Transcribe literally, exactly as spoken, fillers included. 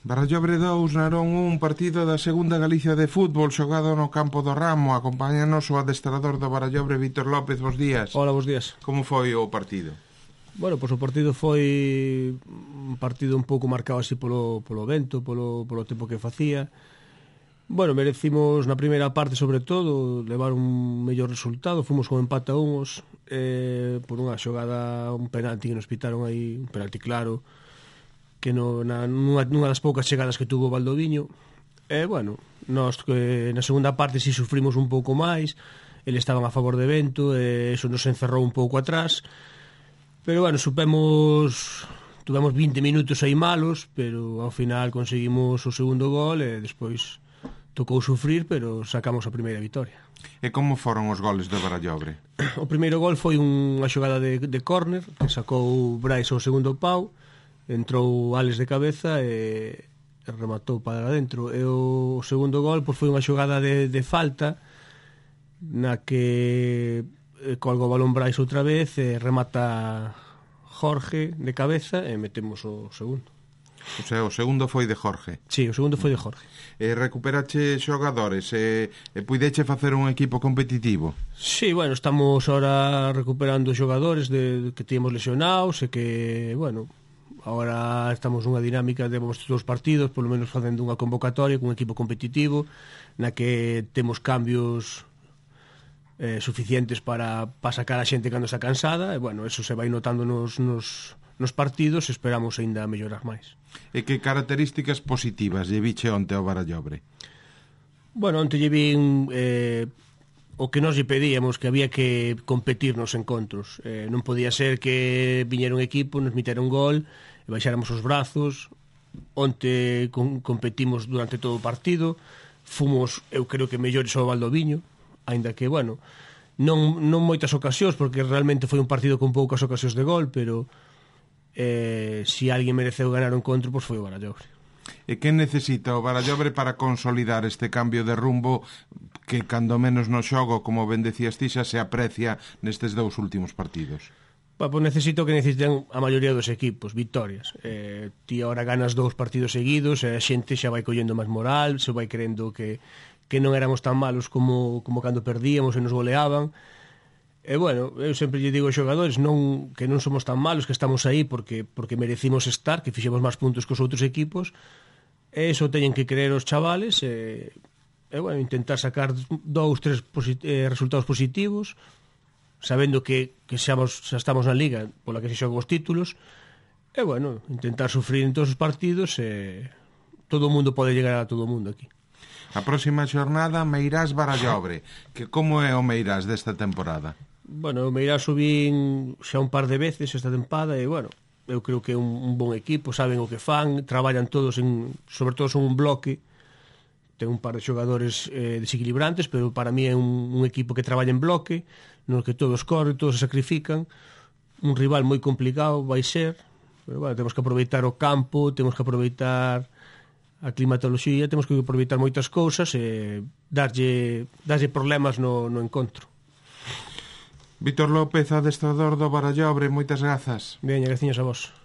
Barallobre dous, Narón un, partido da segunda Galicia de fútbol xogado no campo do Ramo. Acompáñanos o adestrador do Barallobre, Vítor López. Bos días. Hola, bos días. Como foi o partido? Bueno, pois o partido foi un partido un pouco marcado así polo, polo vento, polo, polo tempo que facía. Bueno, merecimos na primeira parte, sobre todo, levar un mellor resultado. Fomos con empate a unos, eh, por unha xogada, un penalti que nos pitaron aí, un penalti claro, que no, na, nunha, nunha das poucas chegadas que tuvo Valdoviño. E, bueno, nós que na segunda parte si sufrimos un pouco máis, eles estaban a favor de vento, e eso nos encerrou un pouco atrás. Pero, bueno, supemos... Tuvemos vinte minutos aí malos, pero ao final conseguimos o segundo gol e despois tocou sufrir, pero sacamos a primeira vitoria. E como foron os goles do Barallobre? O primeiro gol foi unha xogada de, de córner que sacou Brais ao segundo pau, entrou Alex de cabeza e rematou para dentro. E o segundo gol pois, foi unha xogada de, de falta na que colga o balón Brais outra vez e remata Jorge de cabeza e metemos o segundo. O sea, o segundo foi de Jorge. Sí, o segundo foi de Jorge. E recuperache xogadores e, e puideche facer un equipo competitivo? Sí, bueno, estamos ahora recuperando xogadores de, que tíamos lesionados e que, bueno, ahora estamos nunha dinámica de vamos todos os partidos, polo menos facendo unha convocatoria con un equipo competitivo na que temos cambios eh, suficientes para, para sacar a xente cando está cansada e, bueno, eso se vai notando nos... nos nos partidos, esperamos aínda mellorar máis. E que características positivas lle viche onte ao Barallobre? Bueno, onte lle vin eh, o que nos lle pedíamos, que había que competir nos encontros. Eh, non podía ser que viñera un equipo, nos mitera un gol e baixáramos os brazos. Onte con, competimos durante todo o partido, fomos, eu creo que mellores ao Valdoviño, aínda que, bueno, non, non moitas ocasións, porque realmente foi un partido con poucas ocasións de gol, pero Eh, si alguén mereceu ganar o encontro, pois foi o Barallobre. E que necesita o Barallobre para consolidar este cambio de rumbo que cando menos no xogo, como ben decías ti, xa se aprecia nestes dous últimos partidos? Pa, pois necesito que necesiten a maioría dos equipos, victorias. Eh, ti ahora ganas dous partidos seguidos e a xente xa vai collendo máis moral, se vai crendo que, que non éramos tan malos como, como cando perdíamos e nos goleaban. E, bueno, eu sempre lle digo aos xogadores non, que non somos tan malos, que estamos aí porque, porque merecimos estar, que fixemos máis puntos que os outros equipos, e iso teñen que creer os chavales e, e bueno, intentar sacar dous, tres posit eh, resultados positivos, sabendo que, que xamos, xa estamos na liga pola que se xogan os títulos, e, bueno, intentar sufrir en todos os partidos e todo o mundo pode llegar a todo o mundo aquí. A próxima xornada, Meirás Barallobre, que como é o Meirás desta temporada? Bueno, o Meirás subín xa un par de veces esta tempada e, bueno, eu creo que é un, un bon equipo, saben o que fan, traballan todos, en, sobre todo son un bloque, ten un par de xogadores eh, desequilibrantes, pero para mí é un, un equipo que traballa en bloque, no que todos corren, todos se sacrifican, un rival moi complicado vai ser, pero, bueno, temos que aproveitar o campo, temos que aproveitar a climatoloxía, temos que aproveitar moitas cousas e darlle, darlle problemas no, no encontro. Vítor López, adestrador do Barallobre, moitas grazas. Veña, graciñas a vos.